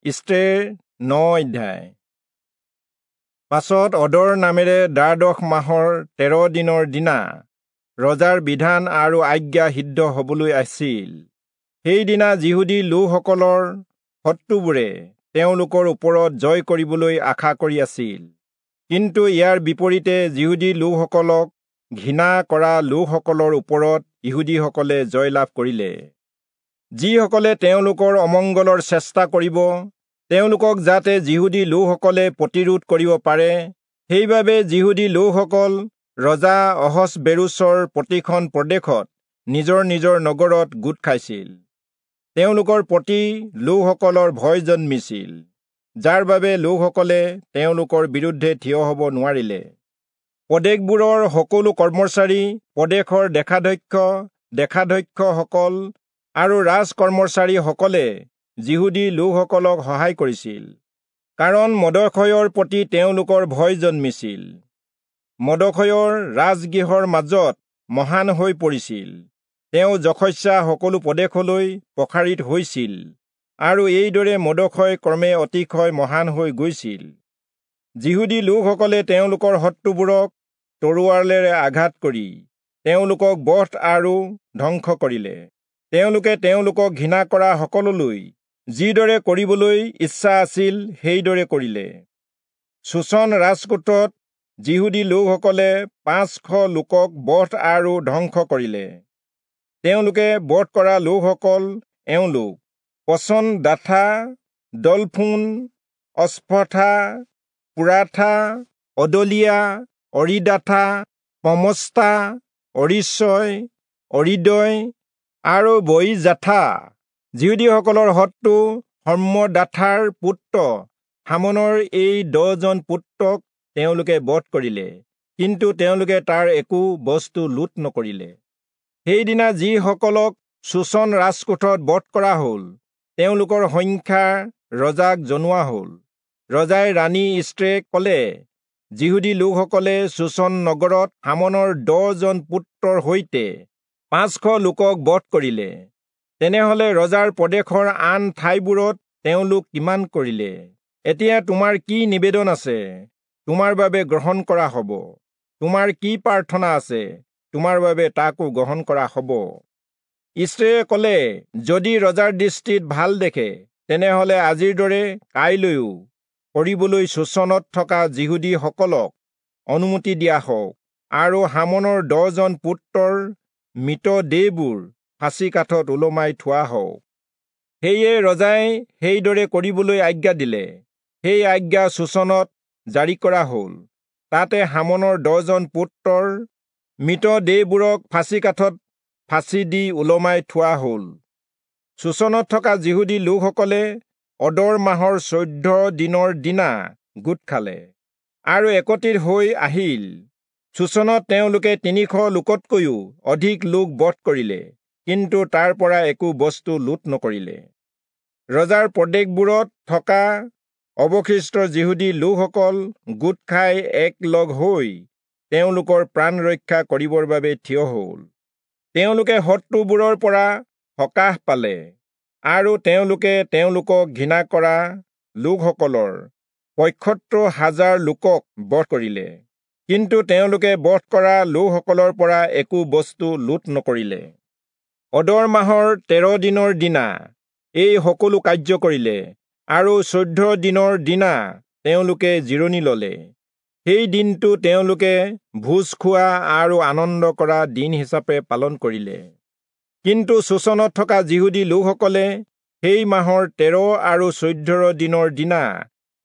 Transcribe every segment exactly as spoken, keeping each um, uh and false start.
ইষ্টেৰ ন অধ্যায়। পাছত অদৰ নামেৰে দ্বাদশ মাহৰ তেৰ দিনৰ দিনা ৰজাৰ বিধান আৰু আজ্ঞা সিদ্ধ হবলৈ আছিল। সেইদিনা যিহুদী লোকসকলৰ শত্ৰুবোৰে তেওঁলোকৰ ওপৰত জয় কৰিবলৈ আশা কৰি আছিল, কিন্তু ইয়াৰ বিপৰীতে যিহুদী লোকসকলক ঘৃণা কৰা লোকসকলৰ ওপৰত ইহুদীসকলে জয়লাভ কৰিলে। যিসকলে তেওঁলোকৰ অমংগলৰ চেষ্টা কৰিব, তেওঁলোকক যাতে যিহুদী লোকসকলে প্ৰতিৰোধ কৰিব পাৰে, সেইবাবে যিহুদী লোকসকল ৰজা অহচ্বেৰোচৰ প্ৰতিখন প্ৰদেশত নিজৰ নিজৰ নগৰত গোট খাইছিল। তেওঁলোকৰ প্ৰতি লোকসকলৰ ভয় জন্মিছিল, যাৰ বাবে লোকসকলে তেওঁলোকৰ বিৰুদ্ধে থিয় হ'ব নোৱাৰিলে। প্ৰদেশবোৰৰ সকলো কৰ্মচাৰী, প্ৰদেশৰ দেশাধ্যক্ষ, দেশাধ্যক্ষসকল আৰু ৰাজ কৰ্মচাৰীসকলে যিহুদী লোকসকলক সহায় কৰিছিল, কাৰণ মৰ্দখয়ৰ প্ৰতি তেওঁলোকৰ ভয় জন্মিছিল। মৰ্দখয়ৰ ৰাজগৃহৰ মাজত মহান হৈ পৰিছিল। তেওঁ যশস্যা সকলো প্ৰদেশলৈ প্ৰসাৰিত হৈছিল আৰু এইদৰে মৰ্দখয় ক্ৰমে অতিশয় মহান হৈ গৈছিল। যিহুদী লোকসকলে তেওঁলোকৰ শত্ৰুবোৰক তৰোৱালেৰে আঘাত কৰি তেওঁলোকক বধ আৰু ধ্বংস কৰিলে। তেওঁলোকে তেওঁলোকক ঘৃণা কৰা সকললৈ যিদৰে কৰিবলৈ ইচ্ছা আছিল সেইদৰে কৰিলে। চূচন ৰাজকোটত যিহুদী লোকসকলে পাঁচশ লোকক বধ আৰু ধ্বংস কৰিলে। তেওঁলোকে বধ কৰা লোকসকল এওঁলোক: পচন-দাথা, দলফোন, অস্পথা, পুৰাথা, অদলিয়া, অৰিদাথা, পমস্তা, অৰিচয়, অৰিদয় আৰু বয়িজাথা। যিহুদীসকলৰ শত্ৰু হম্মদাথাৰ পুত্ৰ হামনৰ এই দহজন পুত্ৰক তেওঁলোকে বধ কৰিলে, কিন্তু তেওঁলোকে তাৰ একো বস্তু লুট নকৰিলে। সেইদিনা যিসকলক চূচন ৰাজকোঠত বধ কৰা হ'ল, তেওঁলোকৰ সংখ্যা ৰজাক জনোৱা হ'ল। ৰজাই ৰাণী ইষ্টেৰক ক'লে, যিহুদী লোকসকলে চূচন নগৰত হামনৰ দহজন পুত্ৰৰ সৈতে পাঁচশ লোকক বধ কৰিলে। তেনেহলে ৰজাৰ প্ৰদেশৰ আন ঠাইবোৰত তেওঁলোক কিমান কৰিলে? এতিয়া তোমাৰ কি নিবেদন আছে, তোমাৰ বাবে গ্ৰহণ কৰা হ'ব। তোমাৰ কি প্ৰাৰ্থনা আছে, তোমাৰ বাবে তাকো গ্ৰহণ কৰা হ'ব। ইষ্টেৰে ক'লে, যদি ৰজাৰ দৃষ্টিত ভাল দেখে, তেনেহলে আজিৰ দৰে কাইলৈও কৰিবলৈ চূচনত থকা যিহুদীসকলক অনুমতি দিয়া হওক আৰু হামনৰ দহজন পুত্ৰৰ মৃতদেহবোৰ ফাঁচী কাঠত ওলমাই থোৱা হওক। সেয়ে ৰজাই সেইদৰে কৰিবলৈ আজ্ঞা দিলে। সেই আজ্ঞা চূচনত জাৰি কৰা হ'ল। তাতে হামনৰ দহজন পুত্ৰৰ মৃতদেহবোৰক ফাঁচী কাঠত ফাঁচী দি ওলমাই থোৱা হ'ল। চূচনত থকা যিহুদী লোকসকলে অদৰ মাহৰ চৈধ্য দিনৰ দিনা গোট খালে আৰু একত্ৰিত হৈ আহিল। চূচনত তেওঁলোকে তিনিশ লোকতকৈও অধিক লোক বধ কৰিলে, কিন্তু তাৰ পৰা একো বস্তু লুট নকৰিলে। ৰজাৰ প্ৰদেশবোৰত থকা অৱশিষ্ট যিহুদী লোকসকল গোট খাই একলগ হৈ তেওঁলোকৰ প্ৰাণ ৰক্ষা কৰিবৰ বাবে থিয় হ'ল। তেওঁলোকে শত্ৰুবোৰৰ পৰা সকাহ পালে আৰু তেওঁলোকে তেওঁলোকক ঘৃণা কৰা লোকসকলৰ পঁয়সত্তৰ হাজাৰ লোকক বধ কৰিলে, কিন্তু তেওঁলোকে বধ কৰা লোকসকলৰ পৰা একো বস্তু লুট নকৰিলে। অদৰ মাহৰ তেৰ দিনৰ দিনা এই সকলো কাৰ্য কৰিলে আৰু চৈধ্য দিনৰ দিনা তেওঁলোকে জিৰণি ললে। সেই দিনটো তেওঁলোকে ভোজ খোৱা আৰু আনন্দ কৰা দিন হিচাপে পালন কৰিলে। কিন্তু চূচনত থকা যিহুদী লোকসকলে সেই মাহৰ তেৰ আৰু চৈধ্য দিনৰ দিনা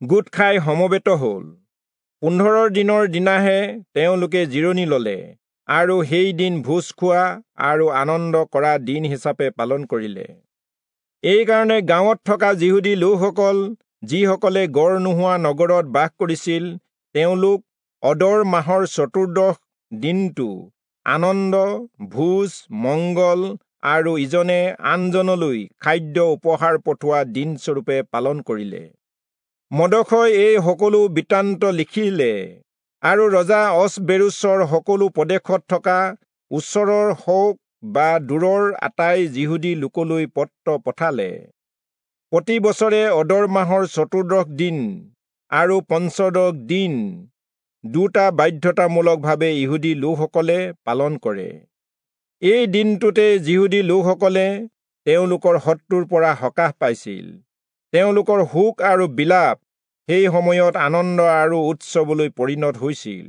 গোট খাই সমবেত হ'ল। পোন্ধৰ দিনৰ দিনাহে তেওঁলোকে জিৰণি ললে আৰু সেই দিন ভোজ খোৱা আৰু আনন্দ কৰা দিন হিচাপে পালন কৰিলে। এইকাৰণে গাঁৱত থকা যিহুদী লোকসকল, যিসকলে গড় নোহোৱা নগৰত বাস কৰিছিল, তেওঁলোক অদৰ মাহৰ চতুৰ্দশ দিনটো আনন্দ, ভোজ, মংগল আৰু ইজনে আনজনলৈ খাদ্য উপহাৰ পঠোৱা দিনস্বৰূপে পালন কৰিলে। মৰ্দখয় এই সকলো বৃত্তান্ত লিখিলে আৰু ৰজা অহচ্বেৰোচৰ সকলো প্ৰদেশত থকা ওচৰৰ হওক বা দূৰৰ আটাই যিহুদী লোকলৈ পত্ৰ পঠালে। প্ৰতি বছৰে অদৰ মাহৰ চতুৰ্দশ দিন আৰু পঞ্চদশ দিন দুটা বাধ্যতামূলকভাৱে ইহুদী লোকসকলে পালন কৰে। এই দিনটোতে যিহুদী লোকসকলে তেওঁলোকৰ শত্ৰুৰ পৰা সকাহ পাইছিল। তেওঁলোকৰ শোক আৰু বিলাপ সেই সময়ত আনন্দ আৰু উৎসৱলৈ পৰিণত হৈছিল।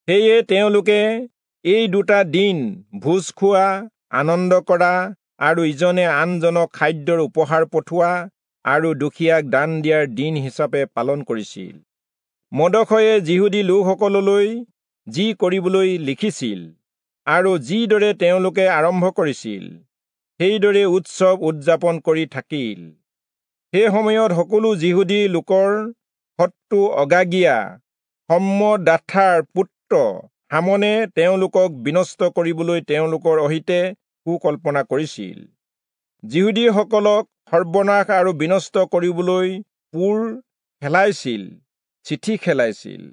সেয়ে তেওঁলোকে এই দুটা দিন ভোজ খোৱা, আনন্দ কৰা আৰু ইজনে আনজনক খাদ্যৰ উপহাৰ পঠোৱা আৰু দুখীয়াক দান দিয়াৰ দিন হিচাপে পালন কৰিছিল। মৰ্দখয়ে যিহুদী লোকসকললৈ যি কৰিবলৈ লিখিছিল আৰু যিদৰে তেওঁলোকে আৰম্ভ কৰিছিল, সেইদৰে উৎসৱ উদযাপন কৰি থাকিল। সেই সময়ত সকলো যিহুদী লোকৰ শত্ৰু অগাগীয়া হম্মদাথাৰ পুত্ৰ হামনে তেওঁলোকক বিনষ্ট কৰিবলৈ তেওঁলোকৰ অহিতে কুকল্পনা কৰিছিল। যিহুদীসকলক সৰ্বনাশ আৰু বিনষ্ট কৰিবলৈ পুৰ খেলাইছিল, চিঠি খেলাইছিল।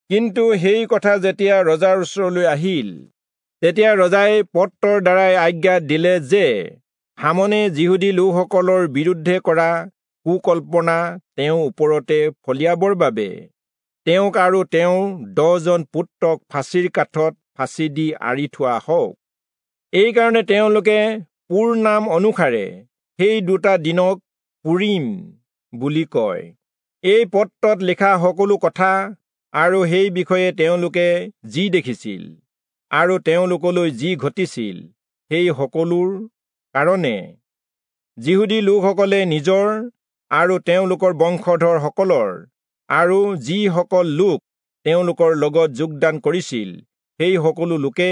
কিন্তু সেই কথা যেতিয়া ৰজাৰ ওচৰলৈ আহিল, তেতিয়া ৰজাই পত্ৰৰ দ্বাৰাই আজ্ঞা দিলে যে হামনে যিহুদী লোকসকলৰ বিৰুদ্ধে কৰা কুকল্পনা তেওঁৰ ওপৰতে ফলিয়াবৰ বাবে তেওঁক আৰু তেওঁৰ দহজন পুত্ৰক ফাঁচীৰ কাঠত ফাঁচী দি আঁৰি থোৱা হওক। এইকাৰণে তেওঁলোকে পুৰ নাম অনুসাৰে সেই দুটা দিনক পুৰিম বুলি কয়। এই পত্ৰত লিখা সকলো কথা আৰু সেই বিষয়ে তেওঁলোকে যি দেখিছিল আৰু তেওঁলোকলৈ যি ঘটিছিল, সেই সকলোৰ কাৰণে যিহুদী লোকসকলে নিজৰ আৰু তেওঁলোকৰ বংশধৰসকলৰ আৰু যিসকল লোক তেওঁলোকৰ লগত যোগদান কৰিছিল, সেই সকলো লোকে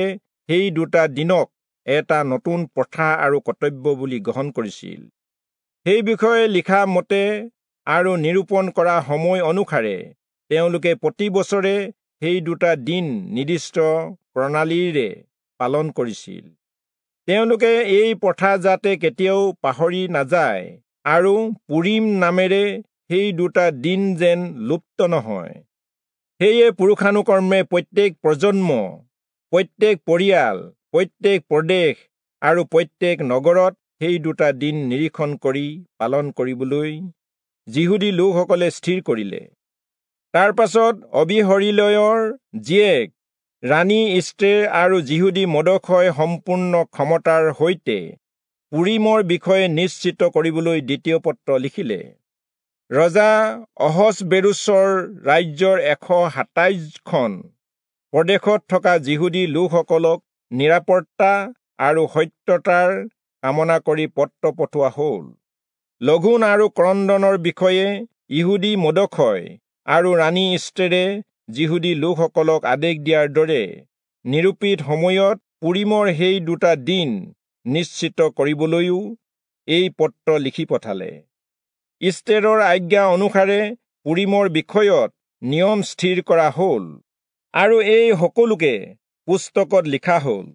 সেই দুটা দিনক এটা নতুন প্ৰথা আৰু কৰ্তব্য বুলি গ্ৰহণ কৰিছিল। সেই বিষয়ে লিখা মতে আৰু নিৰূপণ কৰা সময় অনুসাৰে তেওঁলোকে প্ৰতি বছৰে সেই দুটা দিন নিৰ্দিষ্ট প্ৰণালীৰে পালন কৰিছিল। তেওঁলোকে এই প্ৰথা যাতে কেতিয়াও পাহৰি নাযায় আৰু পুৰিম নামেৰে সেই দুটা দিন যেন লুপ্ত নহয়, সেয়ে পুৰুষানুক্ৰমে প্ৰত্যেক প্ৰজন্ম, প্ৰত্যেক পৰিয়াল, প্ৰত্যেক প্ৰদেশ আৰু প্ৰত্যেক নগৰত সেই দুটা দিন নিৰীক্ষণ কৰি পালন কৰিবলৈ যিহুদী লোকসকলে স্থিৰ কৰিলে। তাৰ পাছত অবিহৰিলয়ৰ জীয়েক ৰাণী ইষ্টেৰ আৰু যিহুদী মৰ্দখয় সম্পূৰ্ণ ক্ষমতাৰ সৈতে পুৰিমৰ বিষয়ে নিশ্চিত কৰিবলৈ দ্বিতীয় পত্ৰ লিখিলে। ৰজা অহচবেৰোচৰ ৰাজ্যৰ এশ সাতাইছখন প্ৰদেশত থকা যিহুদী লোকসকলক নিৰাপত্তা আৰু সত্যতাৰ কামনা কৰি পত্ৰ পঠোৱা হ'ল। লঘোণ আৰু ক্ৰন্দনৰ বিষয়ে ইহুদী মৰ্দখয় আৰু ৰাণী ইষ্টেৰে যিহুদী লোকসকলক আদেশ দিয়াৰ দৰে নিৰূপিত সময়ত পুৰিমৰ সেই দুটা দিন নিশ্চিত কৰিবলৈও এই পত্ৰ লিখি পঠালে। ইষ্টেৰৰ আজ্ঞা অনুসাৰে পুৰিমৰ বিষয়ত নিয়ম স্থিৰ কৰা হ'ল আৰু এই সকলোকে পুস্তকত লিখা হ'ল।